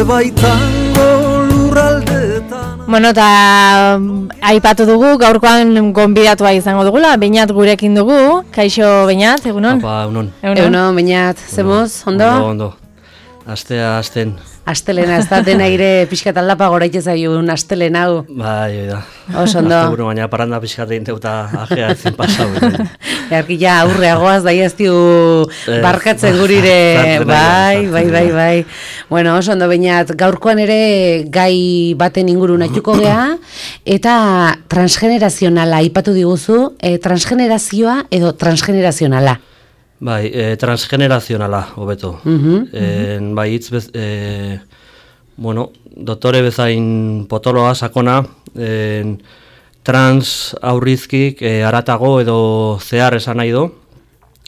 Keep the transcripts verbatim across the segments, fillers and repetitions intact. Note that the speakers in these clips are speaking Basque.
baitango lurraldetan. Bueno, eta aipatu dugu, gaurkoan gonbidatua izango dugula, Beñat gurekin dugu. Kaixo Beñat, egunon? Apa, egunon. Egunon, Beñat, zemoz, ondo? Ondo, ondo. Astea, asten. Astelena, ez da dena ire pixkat aldapa goraitez aiun astelena hau. Bai, da. Oso ondo. Azte buru, baina paranda pixkat egin teuta ajea ezin pasau. Earki ja aurreagoaz da jaztiu barkatzen gurire. Bai, bai, bai, bai. Bueno, oso ondo Beñat, gaurkoan ere gai baten ingurun aituko gea, eta transgenerazionala aipatu diguzu, e, transgenerazioa edo transgenerazionala. Bai, e, transgenerazionala, hobeto. Uh -huh, e, bai, hitz bez, e, bueno, doktore bezain potoloa, sakona, e, trans aurrizkik e, aratago edo zehar esan nahi do,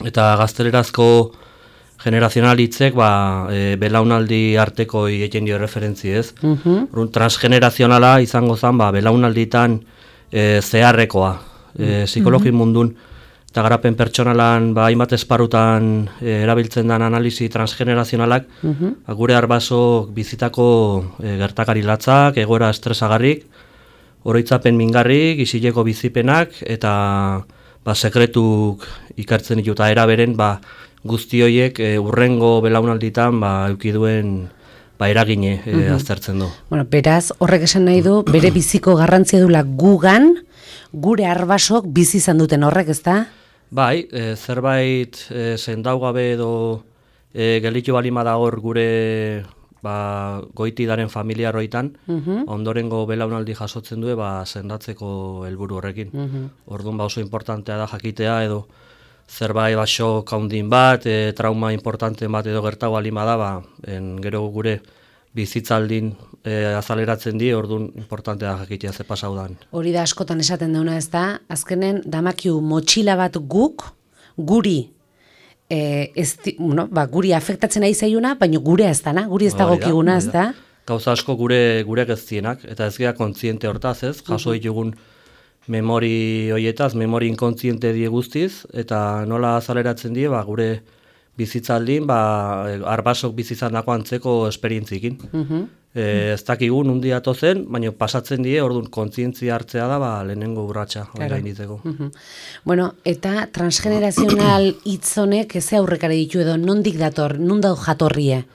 eta gaztelerazko generazional hitzek ba, e, belaunaldi arteko egiten dio referentzi ez. Uh -huh. Transgenerazionala izango zen ba, belaunalditan e, zeharrekoa, e, psikologi uh -huh. mundun, eta garapen pertsonalan ba, hainbat esparutan e, erabiltzen den analisi transgenerazionalak, uh -huh. gure arbasok bizitako e, gertakari latzak, egoera estresagarrik, oroitzapen mingarrik, isileko bizipenak, eta ba, sekretuk ikartzen ditu, eta eraberen ba, guzti horiek e, urrengo belaunalditan ba, eukiduen ba, eragine e, uh -huh. aztertzen du. Bueno, beraz, horrek esan nahi du, bere biziko garrantzia dula gugan, gure arbasok bizi izan duten horrek, ezta? Bai, e, zerbait e, zendaugabe edo e, gelitu balima da hor gure ba, goitidaren familiaroitan, uh -huh. ondorengo belaunaldi jasotzen du ba, sendatzeko helburu horrekin. Uh -huh. Orduan ba, oso importantea da jakitea edo zerbait ba, shock handin bat, e, trauma importante bat edo gertau balima da, ba, en, gero gure bizitzaldin e, azaleratzen di, orduan importantea da jakitea ze pasaudan. Hori da askotan esaten dauna ez da, azkenen damakiu motxila bat guk, guri, e, ez, bueno, ba, guri afektatzen ari zaiuna, baina gure ez dana, guri ez dagokiguna ez da. Gauza asko gure gure geztienak, eta ez gara kontziente hortaz ez, jaso ditugun memori hoietaz, memori inkontziente die guztiz, eta nola azaleratzen die, ba, gure bizitzaldin, ba, arbasok bizitzandako antzeko esperientzikin. Uh -huh. e, ez dakigu nundi atozen, baina pasatzen die, orduan kontzientzia hartzea da, ba, lehenengo urratsa claro. Gainditzeko. Uh -huh. Bueno, eta transgenerazional hitzonek ez aurrekari ditu edo nondik dator, nunda jatorrie?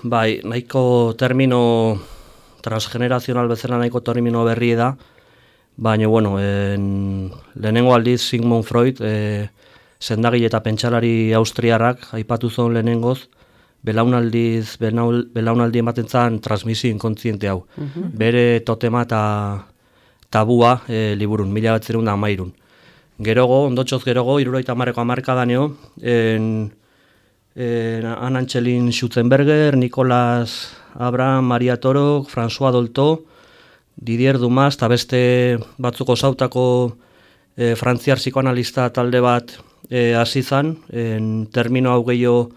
Bai, nahiko termino transgenerazional bezala nahiko termino berri da, baina, bueno, en, lehenengo aldiz Sigmund Freud, e, sendagile eta pentsalari austriarrak aipatu zuen lehenengoz, belaunaldiz, belaunaldi ematen zen transmisio inkontziente hau. Uh -huh. Bere totema eta tabua e, liburun, mila batzerun da amairun. Gerogo, ondotxoz gerogo, iruroita marreko amarkadaneo, en, en Anna Antxelin Schutzenberger, Nicolas Abraham, Maria Torok, François Dolto, Didier Dumas, eta beste batzuko zautako e, frantziar psikoanalista talde bat hasi e, zan, en termino hau gehiago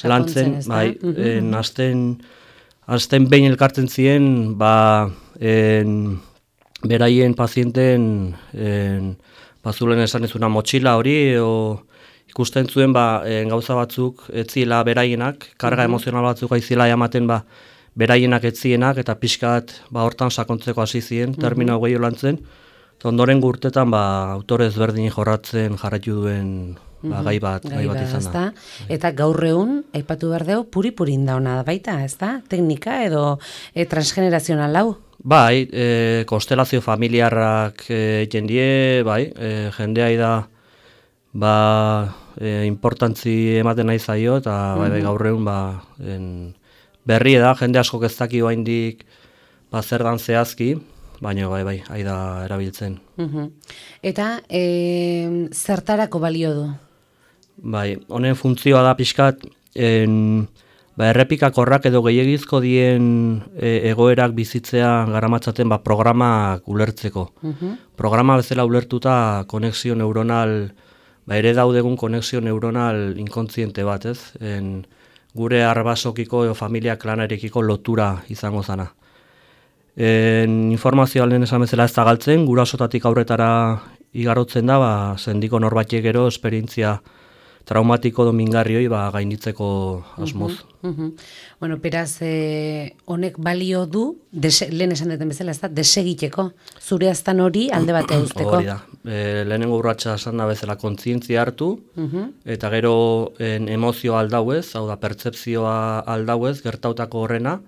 lantzen, bai, uh -huh. en, azten, azten behin elkartzen ziren, ba, en, beraien pazienten, en, bazulen esan ez una motxila hori, o, ikusten zuen, ba, en, gauza batzuk etzila beraienak, karga uh -huh. emozional batzuk aizila ematen, ba, beraienak etzienak, eta pixkat, ba, hortan sakontzeko hasi ziren, termino hau gehiago lantzen, ondoren gurtetan ba, autore ezberdin jorratzen jarraitu duen ba, gai bat, gai bat izan da. Eta gaur egun, aipatu behar dugu, puri-purin dauna baita, ez da? Teknika edo e, transgenerazional hau? Bai, e, konstelazio familiarrak egiten e, die, bai, e, jendea da ba, e, importantzi ematen nahi zaio, eta bai, bai, gaur egun ba, en, berri da, jende asko ez daki baindik ba, zer dan zehazki, baina bai, bai, hai da erabiltzen. Uh-huh. Eta e, zertarako balio du? Bai, honen funtzioa da pixkat, en, ba, errepikakorrak edo gehiagizko dien e, egoerak bizitzea garamatzaten ba, programak ulertzeko. Uh-huh. Programa bezala ulertuta konexio neuronal, ba, ere daudegun konexio neuronal inkontziente bat, ez? En, gure arbasokiko edo familia klanarekiko lotura izango zana. En, informazioa lehen esan bezala ez da galtzen, gurasotatik aurretara igarotzen da, ba, sendiko norbaitek gero esperientzia traumatiko domingarrioi ba, gainditzeko asmoz. Uh -huh. Bueno, beraz, eh, honek balio du, dese, lehen esan duten bezala, ez da, desegiteko, zure aztan hori alde batea uzteko. Hori da, e, lehenengo urratsa esan da bezala kontzientzia hartu, uh-huh. eta gero en, emozioa aldauez, hau da, pertzepzioa aldauez, gertautako horrena,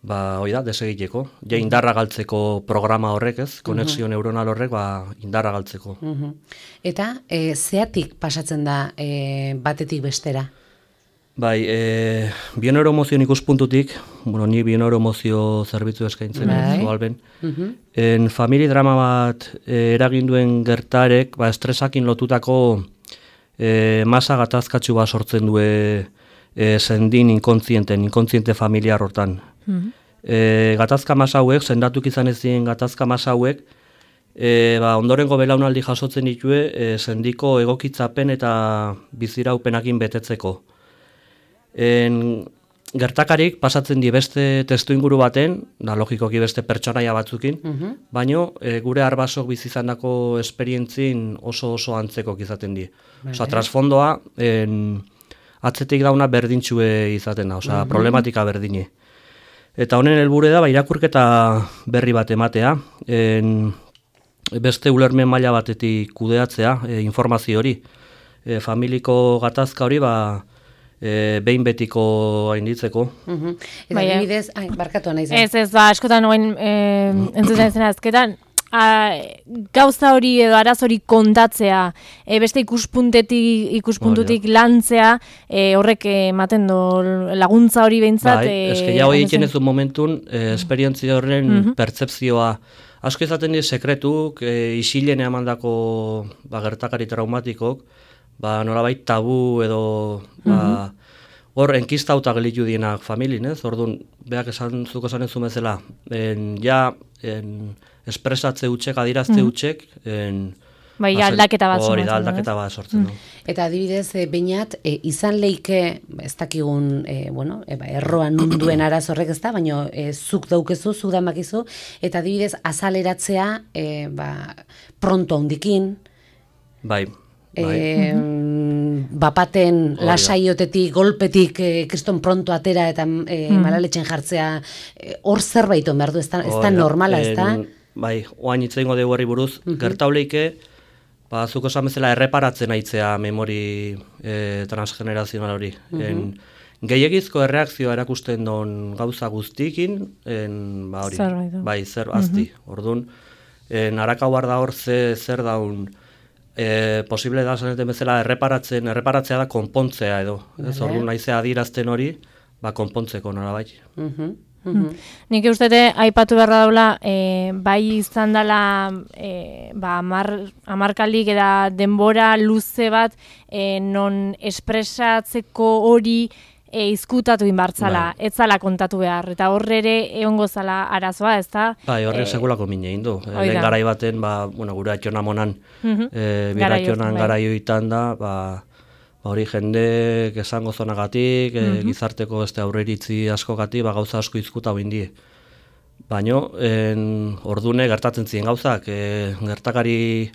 ba, hori da, desegiteko. Ja, indarra galtzeko programa horrek, ez, konexio uh-huh. neuronal horrek, ba, indarra galtzeko. Uh-huh. Eta, e, zeatik pasatzen da e, batetik bestera? Bai, e, bioneuromozioen ikuspuntutik, bueno, ni bioneuromozio zerbitzu eskaintzen bai. zu alben, uh-huh. en famili drama bat e, eraginduen gertarek, ba, estresakin lotutako e, masa gatazkatsu bat sortzen du e, sendin inkontzienten, inkontziente familiar hortan. Uh-huh. E, gatazka masa hauek, sendatuk izan ez diren gatazka masa hauek, e, ba, ondorengo belaunaldi jasotzen ditue e, sendiko egokitzapen eta biziraupenakin betetzeko. En, gertakarik pasatzen di beste testu inguru baten, da logikoki beste pertsonaia batzukin, uh-huh. baino e, gure arbasok bizizandako esperientzin oso oso antzeko izaten di. Vale. Osa, trasfondoa en, atzetik dauna berdintxue izaten da, osa, uh-huh. problematika berdini. Eta honen helburu da, ba, irakurketa berri bat ematea, en, beste ulermen maila batetik kudeatzea, e, informazio hori. E, familiko gatazka hori, ba, E, behin betiko hainditzeko. Uh-huh. Eta bai, bidez, ai, barkatu nahi zen. Ez, ez, ba, askotan noen e, entzuten zena azketan, a, gauza hori edo araz hori kontatzea, e, beste ikuspuntetik, ikuspuntutik oh, ja. lantzea, e, horrek ematen do laguntza hori behintzat. Bai, e, eske ja hori egiten ez du momentun, e, esperientzia horren uh-huh. pertzepzioa. Asko izaten dira sekretuk, e, isilen emandako ba, gertakari traumatikok, ba, nolabait tabu edo ba, hor uh-huh. enkistauta gelitu dienak familin, ez? Orduan, beak esan zuko esan ez bezala, en, ja en, espresatze utxek, adirazte uh-huh. utxek, en, bai, bazen, aldaketa bat hori da, aldaketa bat sortzen du. Mm. Eta adibidez, e, bainat, e, izan leike, ez dakigun, e, bueno, e, ba, erroan nunduen araz horrek ez da, baina e, zuk daukezu, zuk damakizu, eta adibidez, azaleratzea, e, ba, pronto handikin, bai, E, mm-hmm. bapaten lasaiotetik, golpetik e, kriston pronto atera eta e, mm-hmm. malaletxen jartzea hor e, zerbait on behar du, ez da, ez da normala, ez da? Bai, oain hitz egingo dugu herri buruz, mm-hmm. gertauleike, ba, zuko esan bezala erreparatzen aitzea memori e, transgenerazional hori. Mm-hmm. En, gehiagizko erreakzioa erakusten don gauza guztikin, en, ba, hori, zer bai, zer azti. Mm-hmm. Orduan, narakau bar da hor ze, zer daun, E, posible da zaneten bezala erreparatzen, erreparatzea da konpontzea edo. Vale. Ez orduan naizea adirazten hori, ba konpontzeko nola bai. Uh-huh. Uh-huh. Nik ustete aipatu beharra daula, e, bai izan dela e, ba, amar, amarkalik eta denbora luze bat e, non espresatzeko hori e, izkutatu inbartzala, bai. Ez zala kontatu behar, eta horre ere egongo zala arazoa, ez da? Bai, horre e, segulako mine indu. E, lehen garai baten, ba, bueno, gure atxona monan, uh-huh. e, biratxonan garaioitan da, ba, ba, hori jendek esango zonagatik, uh-huh. e, gizarteko beste aurreiritzi askogatik, ba, gauza asko izkuta bindi. Baina, ordune gertatzen ziren gauzak, e, gertakari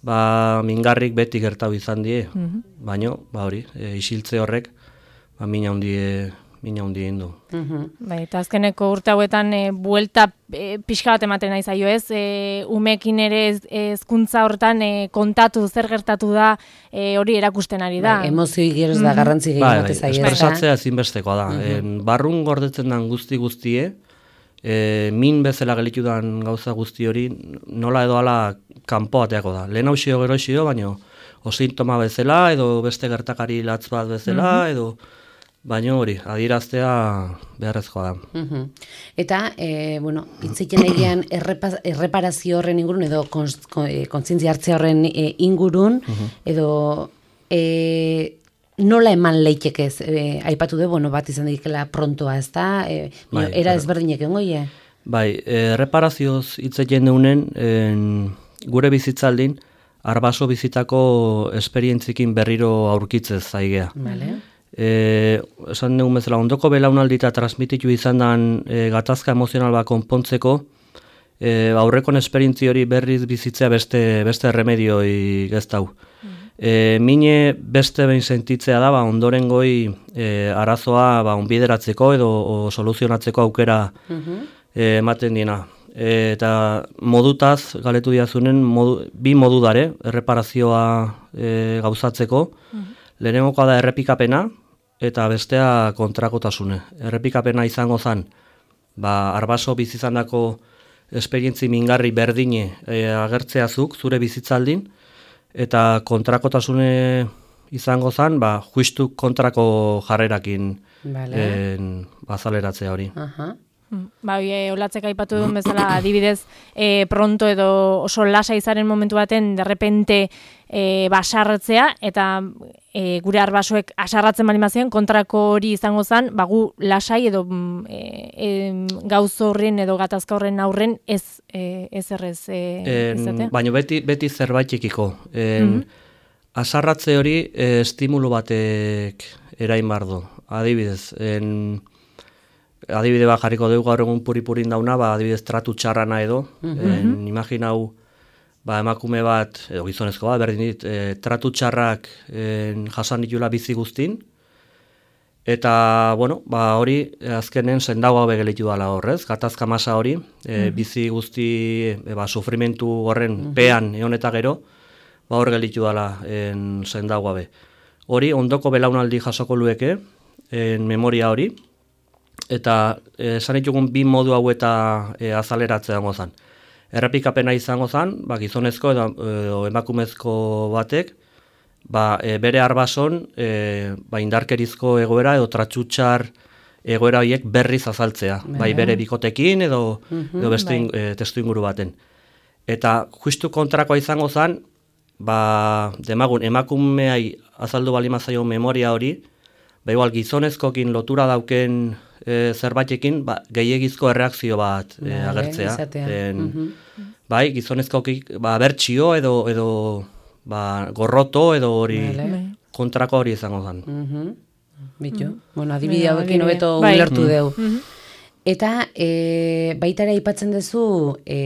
ba, mingarrik beti gertau izan die, uh-huh. baina, ba, hori, e, isiltze horrek, ba, mina hundie, mina hundie indu. Uh-huh. Bai, eta azkeneko urte hauetan e, buelta e, pixka bat ematen nahi zaio, ez? E, umekin ere hezkuntza hortan e, kontatu zer gertatu da e, hori erakusten ari da. Bai, emozioi geroz da garrantzi gehiago bai, bai, espresatzea ezinbestekoa da. Uh-huh. En, barrun gordetzen den guzti guztie, e, min bezala gelitu den gauza guzti hori, nola edo ala kanpoateako da. Lehen hausio gero hausio, baina o sintoma bezala, edo beste gertakari latz bat bezala, uh-huh. edo baina hori, adiraztea beharrezkoa da. Uh-huh. Eta, e, bueno, itziken egian erreparazio horren ingurun, edo kontzientzia hartzea horren e, ingurun, uh-huh. edo e, nola eman leitekez, e, aipatu du, bueno, bat izan dikela prontoa, ez da? E, bai, era ezberdinek engoie? Bai, erreparazioz itziken deunen, gure bizitzaldin, arbaso bizitako esperientzikin berriro aurkitzez zaigea. Vale. E, esan dugu bezala, ondoko belaunaldi eta transmititu izan den e, gatazka emozional bat konpontzeko, e, aurrekon esperientzi hori berriz bizitzea beste, beste remedioi geztau. Mm. E, mine beste behin sentitzea da, ba, ondoren goi e, arazoa ba, onbideratzeko edo o, soluzionatzeko aukera e, ematen diena. E, eta modutaz, galetu diazunen, modu, bi modu dare, erreparazioa e, gauzatzeko. Lehenengokoa da errepikapena, eta bestea kontrakotasune. Errepikapena izango zen, ba, arbaso bizizandako esperientzi mingarri berdine e, agertzeazuk zure bizitzaldin, eta kontrakotasune izango zen, ba, justu kontrako jarrerakin vale. en, bazaleratzea hori. Aha. Ba, e, olatzek aipatu duen bezala, adibidez, e, pronto edo oso lasa izaren momentu baten, derrepente e, basarretzea, eta e, gure arbasoek asarratzen bali mazien, kontrako hori izango zen, ba, gu lasai edo e, e, gauz horren edo gatazka horren aurren ez, e, ez errez e, izatea. Baina beti, beti zerbaitekiko. En, mm-hmm. Asarratze hori e, estimulu batek erain bardo. Adibidez, en... Adibide bat jarriko dugu gaur egun puri-purin dauna, ba, adibidez tratu txarrana edo, mm-hmm. en, imaginau ba, emakume bat, edo gizonezko bat, berdin dit, e, tratu txarrak en, jasan ditula bizi guztin, eta, bueno, ba, hori azkenen sendagoa begelitu dala horrez, gatazka masa hori, e, mm-hmm. bizi guzti, e, ba, sufrimentu horren mm-hmm. pean egon eta gero, ba, hor gelitu dala en, sendagoa be. Hori, ondoko belaunaldi jasoko lueke, en memoria hori, eta esan ditugun bi modu hau eta e, azaleratzea dago zen. Errepikapena izango zen, ba, gizonezko edo, edo emakumezko batek, ba, e, bere arbason e, ba, indarkerizko egoera edo tratxutxar egoera horiek berriz azaltzea, bai, bai bere bikotekin edo, mm-hmm, edo beste bai. e, testu inguru baten. Eta justu kontrakoa izango zen, ba, demagun, emakumeai azaldu balimazaio memoria hori, ba, igual gizonezkokin lotura dauken e, zerbaitekin ba, gehiegizko erreakzio bat e, agertzea. En, mm-hmm. Bai, gizonezkokik ba, bertxio edo, edo ba, gorroto edo hori vale. Kontrako hori izango zen. Mm-hmm. Bitu, mm-hmm. bueno, adibide hauekin hobeto bai. Ulertu mm-hmm. deu. Mm-hmm. Eta e, baitara aipatzen duzu e,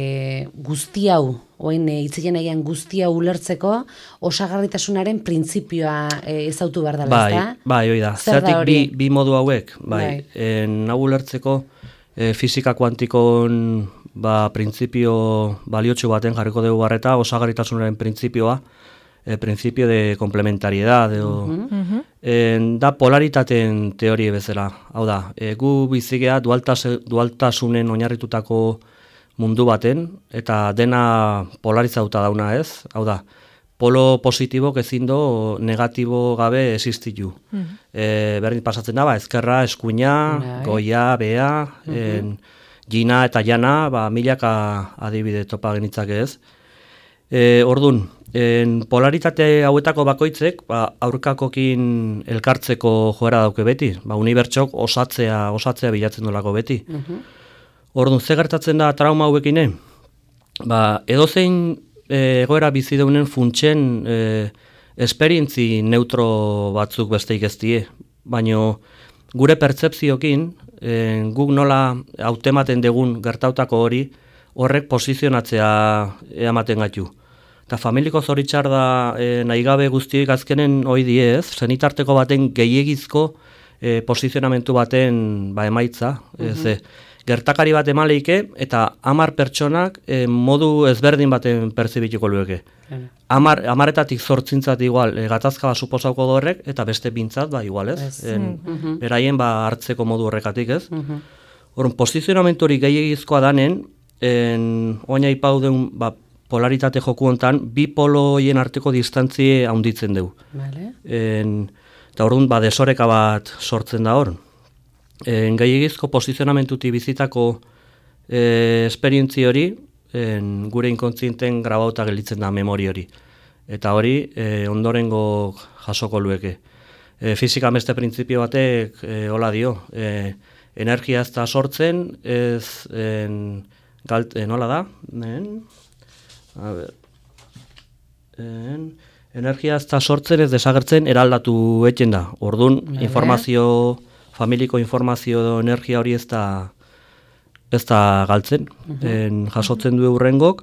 guzti hau, oin hitzeien e, aian guzti hau ulertzeko osagarritasunaren printzipioa e, ezautu behar dela, bai, ezta? Bai, hoi da. Zertik bi, bi modu hauek, bai. bai. En, hau ulertzeko e, fisika kuantikon ba, printzipio baliotxu baten jarriko dugu barreta, osagarritasunaren printzipioa, e, printzipio de komplementariedad, edo, uh-huh. en, da polaritateen teorie bezala. Hau da, e, gu bizigea dualtas, dualtasunen oinarritutako mundu baten, eta dena polarizauta dauna ez, hau da, polo positibok ezin do negatibo gabe existitu. Mm-hmm. E, berdin pasatzen da, ba, ezkerra, eskuina, Nahi. goia, bea, mm-hmm. en, jina eta jana, ba, milaka adibide topa genitzake ez. E, ordun, en, polaritate hauetako bakoitzek, ba, aurkakokin elkartzeko joera dauke beti, ba, unibertsok osatzea, osatzea bilatzen dolako beti. Mm-hmm. Orduan, ze gertatzen da trauma hauekine? Ba, edozein e, egoera bizi deunen funtsen e, esperientzi neutro batzuk besteik ez die. Baina gure pertzepziokin, e, guk nola hautematen degun gertautako hori, horrek posizionatzea ematen gaitu. Eta familiko zoritxar da e, nahi gabe guztiek azkenen hoi die ez, zenitarteko baten gehiegizko e, posizionamentu baten ba, emaitza. Mm-hmm. Ez, gertakari bat emaleike eta hamar pertsonak e, modu ezberdin baten perzibituko lueke. Hamar, hamaretatik zortzintzat igual e, gatazka bat suposauko horrek eta beste bintzat ba igual ez. Yes. En, mm-hmm. Beraien ba hartzeko modu horrekatik ez. Mm-hmm. Horren posizionamentu hori gehiagizkoa danen, oina ipau deun ba, polaritate joku hontan, bi poloien arteko distantzie handitzen dugu. Vale. En, eta horren ba desoreka bat sortzen da hor. En, gehiagizko posizionamentuti bizitako e, esperientzi hori en, gure inkontzienten grabauta gelditzen da memori hori. Eta hori e, ondorengo jasoko lueke. E, fizika beste printzipio batek e, hola dio. E, energia ez da sortzen, ez en, galt, e, nola da? En, a ber, en, energia ez da sortzen, ez desagertzen, eraldatu etxen da. Orduan, vale. Informazio... familiko informazio edo energia hori ez da, ez da galtzen, uh-huh. en, jasotzen du eurrengok,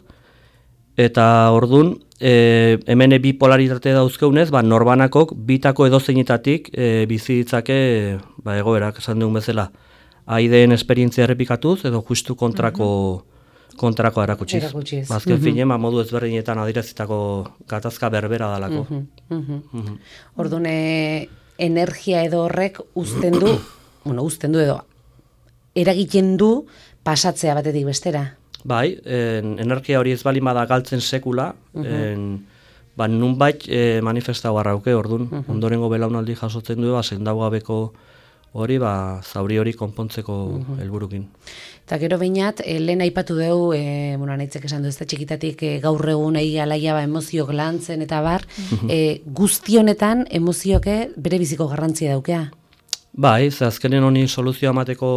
Eta ordun, e, hemen bipolaritate dauzkeunez, ba, norbanakok bitako edozeinetatik e, bizi ditzake ba, egoerak, esan dugun bezala. Aideen esperientzia errepikatuz, edo justu kontrako, kontrako erakutsiz. Erakutsiz. Azken Mhm. finen, ba, modu ezberdinetan adirazitako gatazka berbera dalako. Mhm, mhm. Mhm. Orduan, eh, energia edo horrek uzten du, bueno, uzten du edo eragiten du pasatzea batetik bestera. Bai, en, energia hori ez bali bada galtzen sekula, en, ba, nunbait e, manifestau arrauke, orduan, ondorengo belaunaldi jasotzen du, ba, sendau gabeko hori, ba, zauri hori konpontzeko helburukin. Eta gero behinat, e, lehen aipatu dugu, e, bueno, nahitzek esan du, ez da txikitatik e, gaur egun egi alaia ba, emozioak lantzen eta bar, e, guzti honetan emozioke bere biziko garrantzia daukea. Bai, ze azkenen honi soluzioa emateko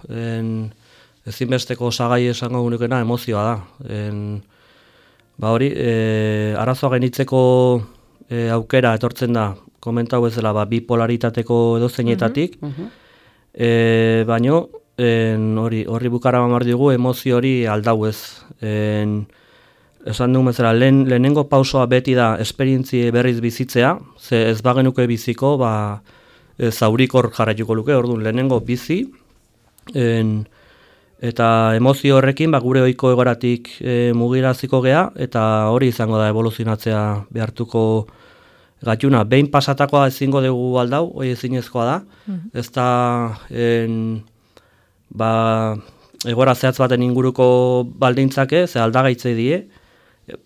en, ezinbesteko osagai esango gunukena emozioa da. En, ba hori, e, arazoa gainitzeko e, aukera etortzen da, komentau bezala, ba, bipolaritateko edozeinetatik, e, baino, en, hori, horri bukara mamar dugu emozio hori aldau ez. En, esan dugun bezala, lehen, lehenengo pausoa beti da esperientzi berriz bizitzea, ze ez bagenuke biziko, ba, e, zaurikor jarraituko luke, orduan lehenengo bizi, en, eta emozio horrekin ba, gure ohiko egoratik e, mugiraziko gea, eta hori izango da evoluzionatzea behartuko gatuna. Behin pasatakoa ezingo dugu aldau, hori ezinezkoa da, ez da en, ba, egora zehatz baten inguruko baldintzake, ze aldagaitzei die,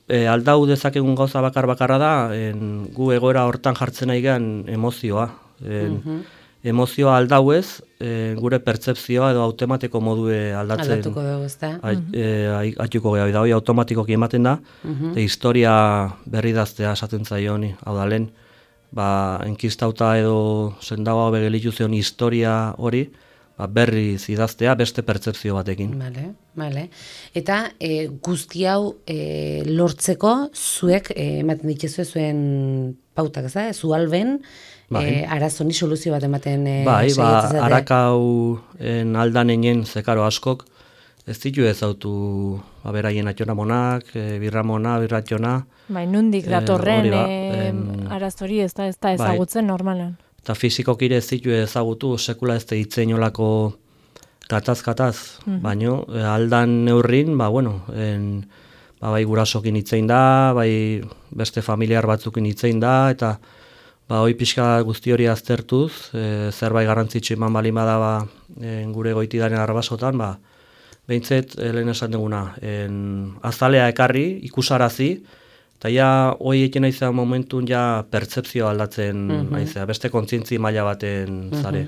e, aldau dezakegun gauza bakar bakarra da, en, gu egoera hortan jartzen nahi gean emozioa. En, Emozioa aldau ez, e, gure pertzepzioa edo automatiko modue aldatzen. Aldatuko dugu, ez da? Aituko geha, da hori automatikoki ematen da, eta historia berri daztea esaten zaio honi. Hau da, lehen, ba, enkistauta edo sendagoa begelitu zion historia hori, ba, berri zidaztea beste pertzepzio batekin. Vale, vale. Eta e, guzti hau e, lortzeko zuek e, ematen dituzue zuen pautak, ez da? Zu alben, Bai. E, arazoni soluzio bat ematen e, Bai, ba, saiatzen zate. harakau en aldanenen zekaro askok, ez ditu ezautu ba, beraien atxonamonak, e, birramona, birratxona. Bai, nundik Eh, datorren hori ba, eh, en- arazori ez da, ez da ezagutzen normalan. Eta fizikokire ez ditu ezagutu, sekula ez ditzein olako gataz-gataz, baino e, aldan neurrin, ba, bueno, en, ba, bai gurasokin hitzein da, bai beste familiar batzukin hitzein da, eta ba, hoi pixka guzti hori aztertuz, e, zerbait garrantzitsu eman bali bada ba, en, gure goitidaren arbasotan, ba, behintzet, e, lehen esan duguna, en, azalea ekarri, ikusarazi, eta ja, hoi egin naizea momentun ja pertzepzioa aldatzen naizea, beste kontzientzi maila baten zare.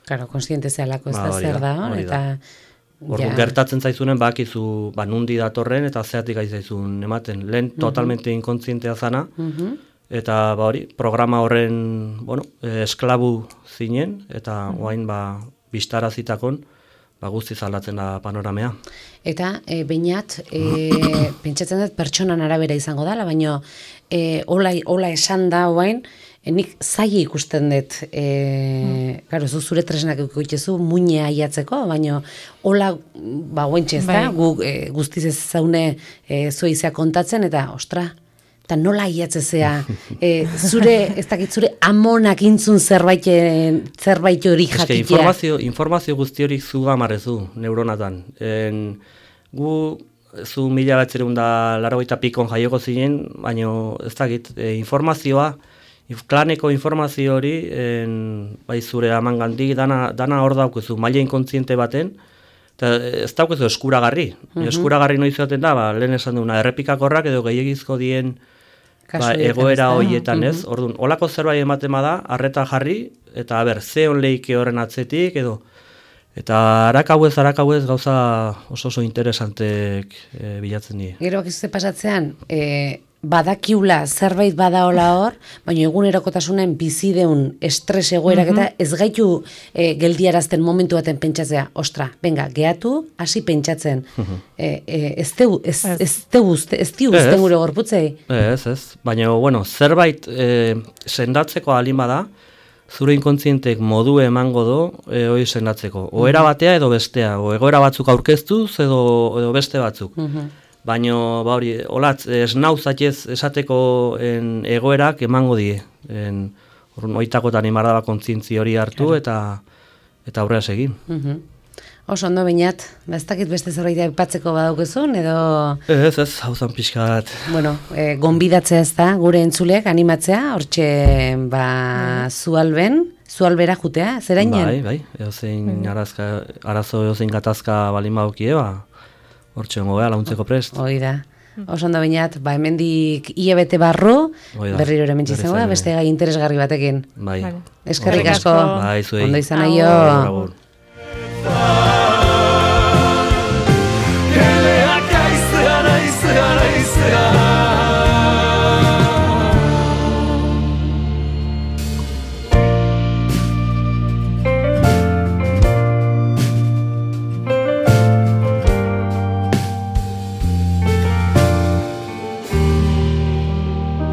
Claro, konsiente zehalako ez Ba, da hori zer da, da, hori eta... Orduan gertatzen zaizunen bakizu ba, nundi datorren eta zeatik aizaizun ematen. Lehen totalmente inkontzientea zana, eta ba, hori, programa horren bueno, eh, esklabu zinen, eta oain ba, biztarazitakon ba, guztiz aldatzen da panoramea. Eta e, bainat, e, pentsatzen dut pertsonan arabera izango dela, baina e, hola, hola esan da oain, e, nik zaila ikusten dut, e, claro, zu zure tresnak ikuitzezu muine aiatzeko, baina hola, ba, oaintxe ez da, Bai. gu, e, guztiz ez zaune e, zueizea kontatzen, eta, ostra, eta nola aiatzezea, e, zure, ez dakit, zure amonak intzun zerbait, zerbait hori Eske, jakitea. informazio, informazio guzti hori zu gamarrezu, neuronatan. En, gu, zu mila batzerun da largoita pikon jaioko zinen, baina ez dakit, e, informazioa, inf- klaneko informazio hori, en, bai zure amangandik, dana, dana hor daukezu, maila inkontziente baten, eta ez daukezu eskuragarri. Eskuragarri noiz zaten da, ba, lehen esan duguna, errepikakorrak edo gehiagizko dien ba, Kasuetan, egoera ez da? horietan ez, orduan, olako zerbait ematen bada, arreta jarri, eta ber, ze on leike horren atzetik, edo, eta harakauez, harakauez gauza oso oso interesantek e, bilatzen die. Gero bakizute pasatzean, e, badakiula zerbait badaola hor, baina egunerokotasunen bizideun estres egoerak eta ez gaitu e, geldiarazten momentu baten pentsatzea, ostra, venga, gehatu, hasi pentsatzen. e, e, ez teu, ez, ez teu uste, ez tiu Ez. uzten gure gorputzei. Ez, ez, baina, bueno, zerbait e, sendatzeko alin bada, zure inkontzientek modu emango do e, hori sendatzeko. O era batea edo bestea, o egoera batzuk aurkeztuz edo, edo beste batzuk. baino, ba hori, olatz, esnauzatez esateko en, egoerak emango die. En, orduan, oitakotan imardaba kontzintzi hori hartu claro. eta eta aurrera segin. Uh-huh. Oso ondo Beñat, ez dakit beste zerbait aipatzeko badaukezun, edo... Ez, ez, hau zan pixka bat. Bueno, e, gonbidatzea ez da, gure entzuleak animatzea, hortxe, ba, zualben, zualbera jutea, zerainen? Bai, bai, eozein arazka, arazo eozein gatazka balin baukie, ba, hortxe gongo launtzeko prest. Hoi da. Oso ondo Beñat, ba, hemendik hilabete barru, berriro ere mentxitzen, beste gai interesgarri batekin. Bai. Eskerrik asko, bai, zuei. ondo izan aio.